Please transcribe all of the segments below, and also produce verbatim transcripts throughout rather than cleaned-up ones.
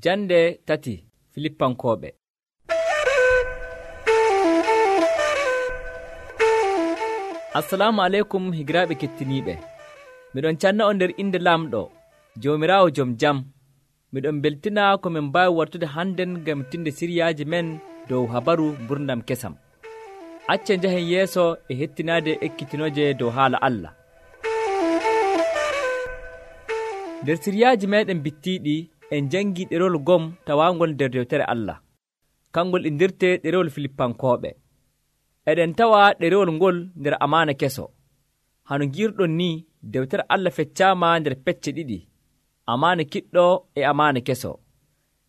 Jande tati Filippankooɓe. Assalamu aleykum higiraaɓe kettiniiɓe. Miɗon canna on nder inde Laamɗo, Joomiraawo jom jam. Miɗon beltina ko min mbaawi wartude hannden ngam tinde siryaaji men dow habaru gurdam kesam. Acce njahen yeeso e hettinaade ekkitinoje dow haala Allah. Nder siryaaji meɗen bittiiɗi en jangi ɗerewol gom tawaangol nder dewtere Allah, kangol indirte ɗerewol Filippankooɓe. Eɗen tawa ɗerewol ngol nder amaana keso. Hano girɗon ni dewtere Allah feccaama nder pecce ɗiɗi, amaana kiɗɗo e amaana keso.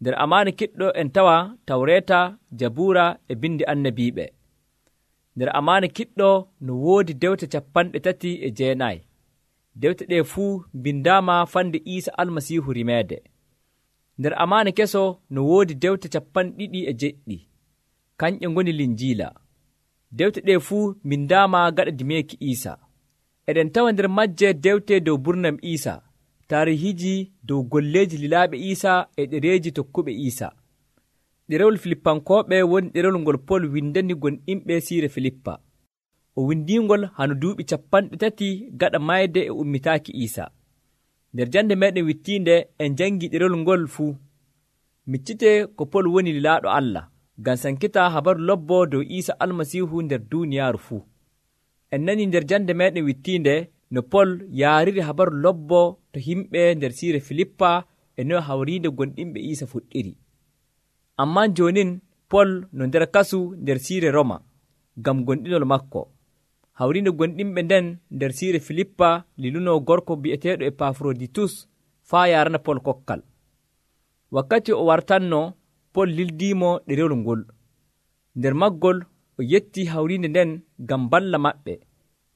Nder amaana kiɗɗo en tawa Tawreeta, Jabuura e bindi annabiiɓe. Nder amaana kiɗɗo no woodi dewte capanɗe tati e jeenayi. Dewte ɗe fuu bindaama fande Iisa Almasiihu rimeede. Nder amaana keso no woodi dewte capanɗe ɗiɗi e jeɗɗi, kanƴe ngoni Linjiila. Dewte ɗe fuu bindaama gaɗa dimeeki Iisa. Eɗen tawa nder majje dewte dow burnam Iisa, taarihiiji dow golleeji lilaaɓe Iisa e ɗereeji tokkuɓe Iisa. Ɗerewol Filippankooɓe woni ɗerewol ngol Pol windani gonɗinɓe siire Filippa. O windiingol hano duuɓi capanɗe tati gaɗa mayde e ummitaaki Iisa. Nder jande meɗen wittiinde en jangi ɗerewol ngol fuu. Miccite ko Pol woni lilaaɗo Allah, ngam sankita habaru lobbo dow Iisa Almasiihu nder duuniyaaru fuu. En nani nder jande meɗen wittiinde no Pol yaariri habaru lobbo to himɓe nder siire Filippa e no hawriinde gonɗinɓe Iisa fuɗɗiri. Ammaa joonin Pol no nder kasu nder siire Roma ngam gonɗinol makko. Hawriinde gonɗinɓe nden nder siire Filippa liluno gorko bi'eteeɗo Epafroditus faa yarana Pol kokkal. Wakkati o wartanno, Pol lildiimo ɗerewol ngol. Nder maggol o yetti hawriinde nden ngam balla maɓɓe.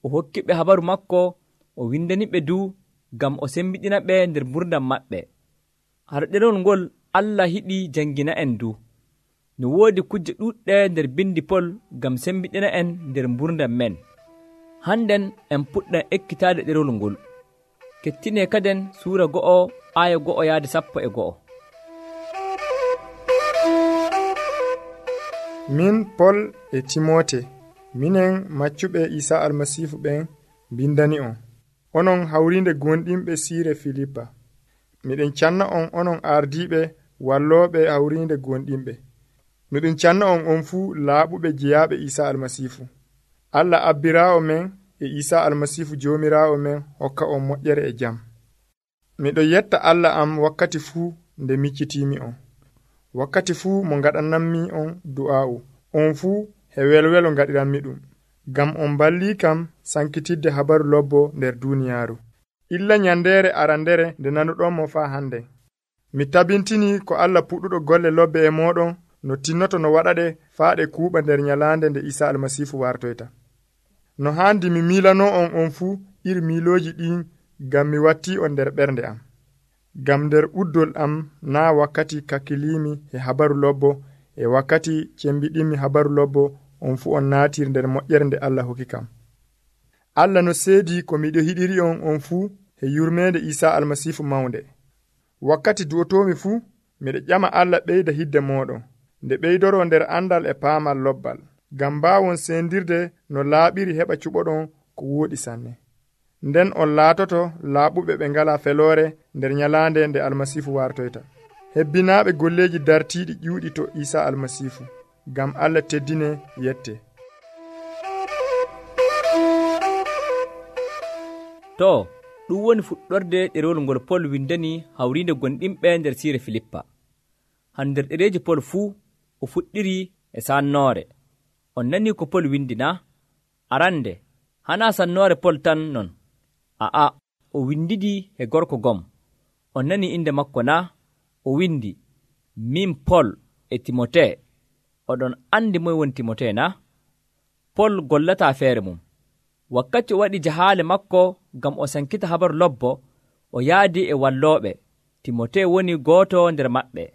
O hokkiɓe habaru makko, o windaniɓe du ngam o sembiɗina ɓe nder gurdam maɓɓe. Har ɗerewol ngol Allah hiɗi jangina en du. No woodi kujje ɗuɗɗe nder bindi Pol ngam sembiɗina en nder gurdam men. Hannden en puɗɗan ekkitaade ɗerewol ngol. Kettine kaden suura go'o aaya go'o yaade sappo e go'o. Min Pol e Timote, minen maccuɓe Iisa Almasiihu ɓen bindani on, onon hawrinde gonɗinɓe siire Filippa. Miɗen canna on onon ardiiɓe wallooɓe hawrinde gonɗinɓe. Miɗen canna on on fuu laaɓuɓe jeyaaɓe Iisa Almasiihu. Allah abbiraawo men e Iisa Almasiihu joomiraawo men hokka on moƴƴere e jam. Miɗo yetta Allah am wakkati fuu nde miccitiimi on, wakkati fuu mo ngaɗanammi on du'aa'u. On fuu he welwelo ngaɗiranmi ɗum, ngam on ballii kam sankitidde habaru lobbo nder duuniyaaru. Illa nyandeere arandere nde nanuɗon mo faa hande. Mi tabintini ko Allah puɗɗuɗo golle lobbe e mooɗon no tinnoto no waɗaɗe faa ɗe kuuɓa nder nyalaande nde Iisa Almasiihu wartoyta. No haandi mi miilano on on fuu iri miilooji ɗin ngam mi wattii on nder ɓernde am. Ngam nder uddol am naa wakkati kakkiliimi e habaru lobbo e wakkati cembiɗinmi habaru lobbo on fuu on naatir nder moƴƴere nde Allah hokki kam. Allah no seedi ko miɗo hiɗiri on on fuu e yurmeende Iisa Almasiihu mawnde. Wakkati du'otoomi fuu miɗo ƴama Allah ɓeyda hidde mooɗon, nde ɓeydoro nder andal e paamal lobbal, ngam mbaawon sendirde no laaɓiri heɓa cuɓoɗon ko wooɗi sanne. Nden on laatoto laaɓuɓe ɓe ngala feloore nder nyalaande nde Almasiihu wartoyta. Hebbinaaɓe golleeji dartiiɗi ƴuuɗi to Iisa Almasiihu, ngam Allah teddine yette. To, ɗum woni fuɗɗorde ɗerewol ngol Pol windani hawriinde gonɗinɓe nder siire Filippa. Han nder ɗereeji Pol fuu o fuɗɗiri e sannoore. On nani ko Pol windi na? Arande, hana sannoore Pol tan non. A'a, o windidi e gorko gom. On nani inde makko na? O windi, min Pol e Timote. Oɗon andi moy woni Timote na? Pol gollata feere mum. Wakkati o waɗi jahaale makko ngam o sankita habaru lobbo, o yaadi e wallooɓe. Timote woni gooto nder maɓɓe.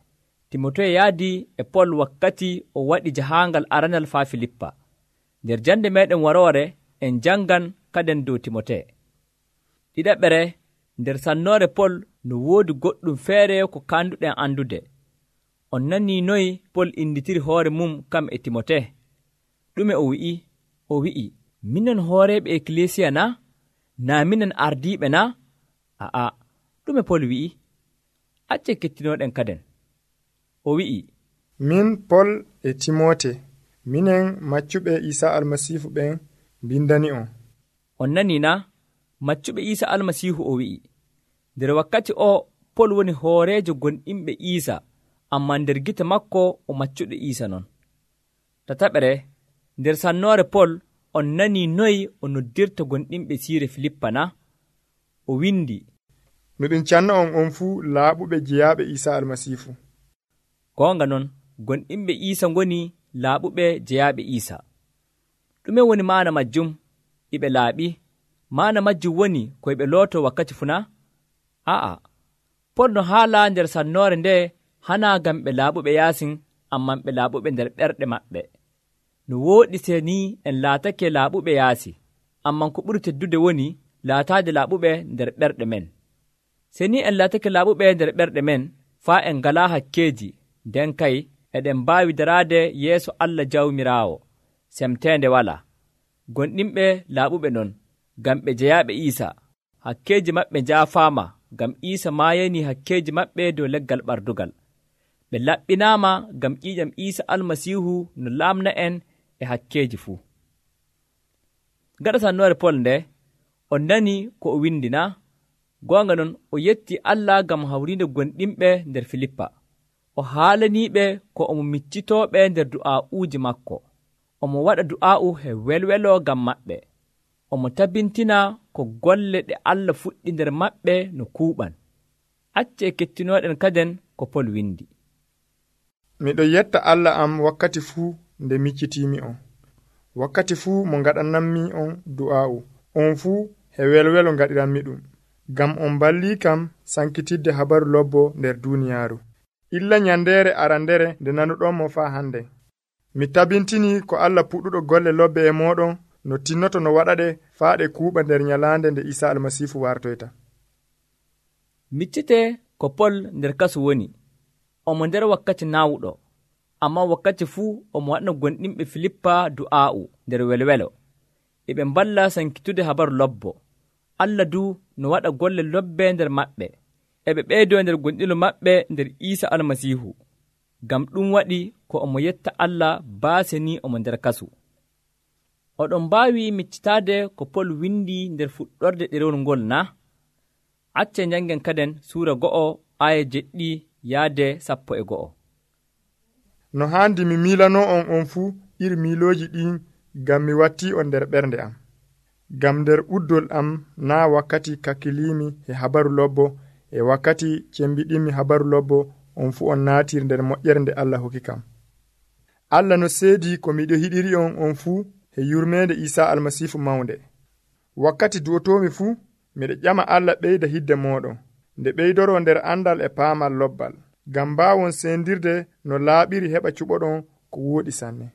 Timote yaadi e Pol wakkati o waɗi jahaangal aranal faa Filippa. Nder jande meɗen waroore en jangan kaden dow Timote. Ɗiɗaɓere nder sannoore Pol no woodi goɗɗum feere ko kanduɗen andude. On nanii noy Pol inditiri hoore mum kam e Timote. Ɗume o wi'i? O wi'i, minen hooreeɓe ekkilisiya na? Naa minen ardiiɓe na? A'a, ɗume Pol wi'i? Acce kettinooɗen kaden. O wi'i, min Pol e Timote, minen maccuɓe Iisa Almasiihu ɓen bindani on. On nanii na? Maccuɓe Iisa Almasiihu o wi'i. Nder wakkati o Pol woni hooreejo gonɗinɓe Iisa, ammaa nder gite makko o maccuɗo Iisa non. Tataɓere, nder sannoore Pol on nanii noy o noddirta gonɗinɓe siire Filippa na? O windi, miɗum canna on on fuu laaɓuɓe jeyaaɓe Iisa Almasiihu. Goonga non, gonɗinɓe Iisa ngoni laaɓuɓe jeyaaɓe Iisa. Ɗume woni maana majjum? Iɓe laaɓi. Maana majjum woni ko ɓe looto wakkati funa? A'a, Pol no haala nder sannoore nde hanaa ngam ɓe laaɓuɓe yaasin, amman ɓe laaɓuɓe nder ɓerɗe maɓɓe. No wooɗi se ni en laatake laaɓuɓe yaasi, amman ko ɓuri teddude woni laataade laaɓuɓe nder ɓerɗe men. Se ni en laatake laaɓuɓe nder ɓerɗe men, faa en ngalaa hakkeeji, nden kay eɗen mbaawi daraade yeeso Allah Jawmiraawo, semteende walaa. Gonɗinɓe laaɓuɓe non, ngam ɓe jeyaaɓe Iisa, hakkeeji maɓɓe njaafaama, ngam Iisa maayanii hakkeeji maɓɓe dow leggal ɓardugal. Ɓe laɓɓinaama ngam ƴiiƴam Iisa Almasiihu no laamna en e hakkeeji fuu. Gaɗa sannoore Pol nde, on nani ko o windi na? Goonga non, o yetti Allah ngam hawriinde gonɗinɓe nder Filippa. O haalaniiɓe ko omo miccitooɓe nder du'aa'uuji makko. Omo waɗa du'aa'u he welwelo ngam maɓɓe. Omo tabintina ko golle ɗe Allah fuɗɗi nder maɓɓe no kuuɓan. Acce kettinooɗen kaden ko Pol windi. Miɗo yetta Allah am wakkati fuu nde miccitiimi on. Wakkati fuu mo ngaɗanammi on du'aa'u, on fuu he welwelo ngaɗiranmi ɗum. Ngam on ballii kam sankitidde habaru lobbo nder duuniyaaru. Illa nyandeere arandere nde nanuɗon mo faa hande. Mi tabintini ko Allah puɗɗuɗo golle lobbe e mooɗon no tinnoto no waɗaɗe faa ɗe kuuɓa nder nyalaande nde Iisa Almasiihu wartoyta. Miccite ko Pol nder kasu woni. Omo nder wakkati naawuɗo, amma wakkati fuu omo waɗna gonɗinɓe Filippa du'aa'u nder welwelo. E ɓe mballa sankitude habaru lobbo. Allah du no waɗa golle lobbe nder maɓɓe. E ɓe ɓeydoo nder gonɗilo maɓɓe nder Iisa Almasiihu. Ngam ɗum waɗi ko omo yetta Allah baase ni omo nder kasu. Oɗon mbaawi miccitaade ko Pol windi nder fuɗɗorde ɗerewol ngol na? Acce njangen kaden suura go'o aya jeɗɗi yaade sappo e go'o. No haandi mi miilano on on fuu iri miilooji ɗin ngam mi wattii on nder ɓernde am. Ngam nder uddol am naa wakkati kakkiliimi e habaru lobbo e wakkati cembiɗinmi habaru lobbo on fuu on naatir nder moƴƴere nde Allah hokki kam. Allah no seedi ko miɗo hiɗiri on on fuu e yurmeende Iisa Almasiihu mawnde. Wakkati du'otoomi fuu miɗo ƴama Allah ɓeyda hidde mooɗon, nde ɓeydoro nder andal e paamal lobbal, ngam mbaawon sendirde no laaɓiri heɓa cuɓoɗon ko wooɗi sanne.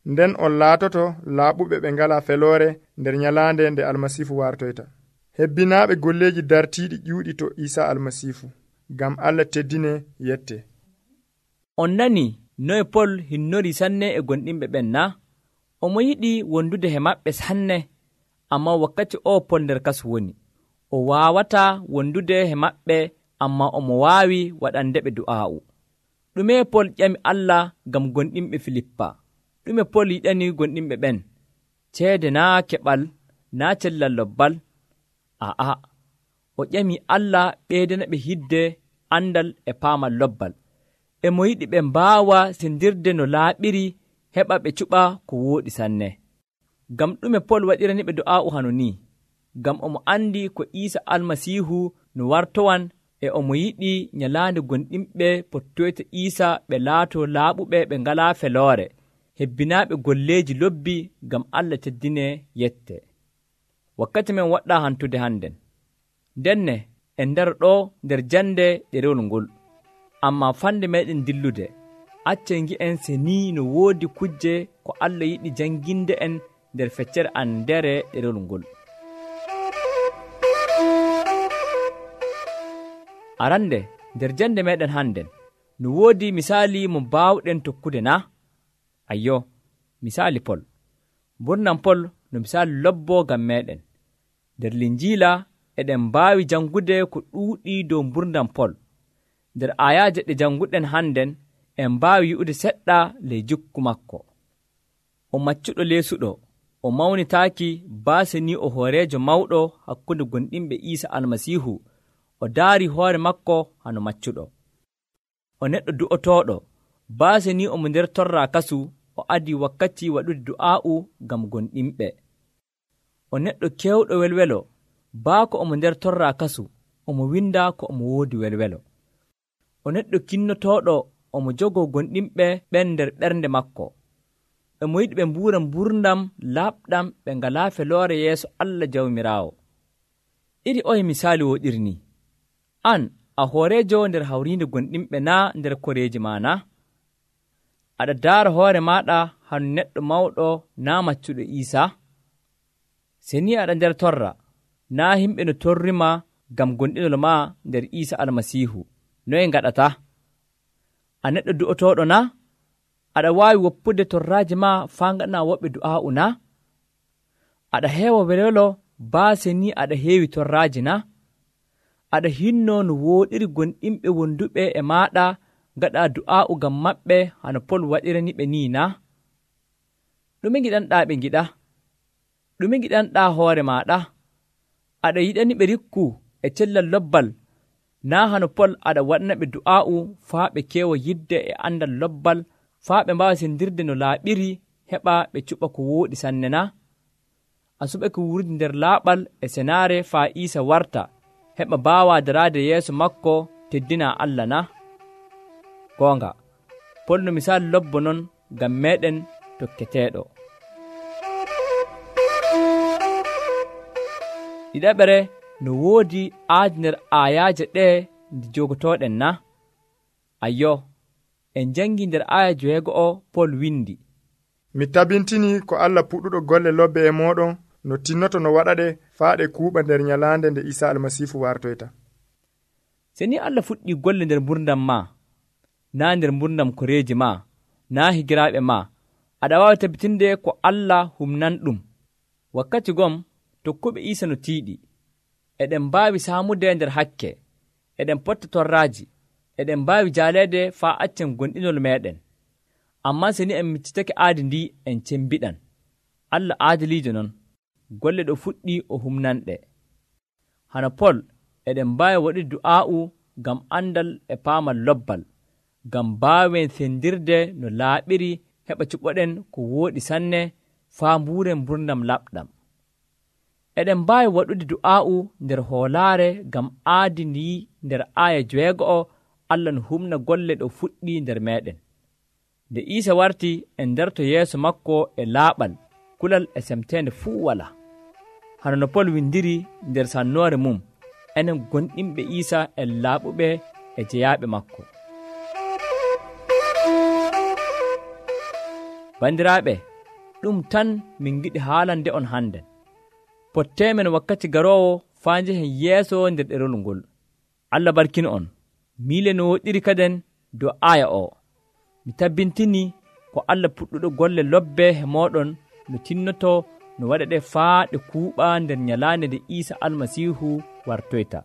Nden on laatoto laaɓuɓe ɓe ngalaa feloore nder nyalaande nde Almasiihu wartoyta. Hebbinaaɓe golleeji dartiiɗi ƴuuɗi to Iisa Almasiihu, ngam Allah teddine yette. On nani noye Pol hinnori sanne e gonɗinɓe ɓen na? Omo yiɗi wondude he maɓɓe sanne, amma wakkati o Pol nder kasu woni. O waawataa wondude he maɓɓe, amma omo waawi waɗandeɓe du'aa'u. Ɗume Pol ƴami Allah ngam gonɗinɓe Filippa? Ɗume Pol yiɗani gonɗinɓe ɓen? Ceede naa keɓal, naa cellal lobbal? A'a, o ƴami Allah ɓeydana ɓe hidde andal e paamal lobbal. E mo yiɗi ɓe mbaawa sendirde no laaɓiri heɓa ɓe cuɓa ko wooɗi sanne. Ngam ɗume Pol waɗirani ɓe du'aa'u hano ni? Ngam omo andi ko Iisa Almasiihu no wartowan, e omo yiɗi nyalaande gonɗinɓe pottoyta Iisa ɓe laato laaɓuɓe ɓe ngalaa feloore, hebbinaaɓe golleeji lobbi ngam Allah teddine yette. Wakkati men waɗɗaa hantude hannden. Ndenne en ndaro ɗo nder jande ɗerewol ngol, amma fande meɗen dillude. Acce ngi'en se ni no woodi kujje ko Allah yiɗi janginde en nder feccere an ndere ɗerewol ngol. Arande nder jande meɗen hannden, no woodi misali mo baawɗen tokkude na? Ayyo, misali Pol. Mburnam Pol no misali lobbo ngam meeɗen. Nder Linjiila eɗen mbaawi jangude ko ɗuuɗii dow mburnam Pol. Nder ayaaje ɗe janguɗen hannden en mbaawi yi'ude seɗɗa ley jikku makko. O maccuɗo leesuɗo, o mawnitaaki baase ni o hooreejo mawɗo hakkunde gonɗinɓe Iisa Almasiihu, o daari hoore makko hano maccuɗo. O neɗɗo du'otooɗo, baase ni omo nder torra kasu, o adii wakkati waɗude du'aa'u ngam gonɗinɓe. O neɗɗo keewɗo welwelo, baako omo nder torra kasu, omo winda ko omo woodi welwelo. O neɗɗo kinnotooɗo, omo jogoo gonɗinɓe ɓen nder ɓernde makko. Emo yiɗi ɓe mbuura mburdam laaɓɗam ɓe ngalaa feloore yeeso Allah Jawmiraawo. Iri oye misaali woɗirni. An a hooreejo nder hawriinde gonɗinɓe naa nder koreeji maa na? Aɗa daara hoore maaɗa hano neɗɗo mawɗo naa maccuɗo Iisa? Se ni aɗa nder torra, naa himɓe no torrima ngam gonɗinol maa nder Iisa Almasiihu, noye ngaɗata? A neɗɗo du'otooɗo na? Aɗa waawi woppude torraaji maa faa ngaɗana woɓɓe du'aa'u na? Aɗa heewa welwelo baase ni aɗa heewi torraaji na? Aɗa hinno no wooɗiri gonɗinɓe wonduɓe e maaɗa ngaɗa du'aa'u ngam maɓɓe hano Pol waɗirani ɓe ni na? Ɗume ngiɗanɗaa ɓe ngiɗa? Ɗume ngiɗanɗaa hoore maaɗa? Aɗa yiɗani ɓe rikku e cellal lobbal, naa hano Pol aɗa waɗana ɓe du'aa'u faa ɓe keewa yidde e andal lobbal, faa ɓe mbaawa sendirde no laaɓiri heɓa ɓe cuɓa ko wooɗi sanne na? A suɓake wurde nder laaɓal e senaare faa Iisa warta heɓa mbaawa daraade yeeso makko teddina Allah na? Goonga, Pol no misaali lobbo non ngam meeɗen tokketeeɗo. Ɗiɗaɓere no woodi aadi nder aayaaje ɗee nde jogotooɗen na? Ayyo, en jangi nder aya joweego'o Pol windi, mi tabintini ko Allah puɗɗuɗo golle lobbe e moɗon no tinnoto no waɗaɗe faa ɗe kuuɓa nder nyalaande nde Isa Almasiihu wartoyta. Se ni Allah fuɗɗi golle nder mburdam ma, naa nder mburdam koreeji ma, naa higiraaɓe ma, aɗa waawi tabitinde ko Allah humnan ɗum. Wakkati gom tokkuɓe Iisa no tiiɗi, eɗen mbaawi saamude nder hakke, eɗen potta torraaji, eɗen mbaawi jaaleede faa accen gonɗinol meeɗen. Ammaa se ni en miccitake aadi ndi en cembiɗan. Allah aadiliijo non, golle ɗo fuɗɗi o humnanɗe. Hana Pol eɗen mbaawi waɗude du'aa'u ngam andal e paamal lobbal, ngam mbaawen sendirde no laaɓiri heɓa cuɓoɗen ko wooɗi sanne faa mbuuren mburdam laɓɗam. Eɗen mbaawi waɗude du'aa'u nder hoolaare ngam aadi ndi nder aaya joweego'o Allah no humna golle ɗo fuɗɗi nder meeɗen. Nde Iisa warti en darto yeeso makko e laaɓal, kulal e semteende fuu walaa. Hano no Pol windiri nder sannoore mum, enen gonɗinɓe Iisa en laaɓuɓe e jeyaaɓe makko. Bandiraaɓe, ɗum tan min giɗi haalande on hannden. Potteemen wakkati garoowo faa njehen yeeso nder ɗerol ngol. Allah barkino on. Miile no woɗɗiri kaden dow aya o. Mi tabbintini ko Allah puɗɗuɗo golle lobbe he moɗon no tinnoto no waɗa ɗe faa ɗe kuuɓa nder nyalaande nde Iisa Almasiihu wartoyta.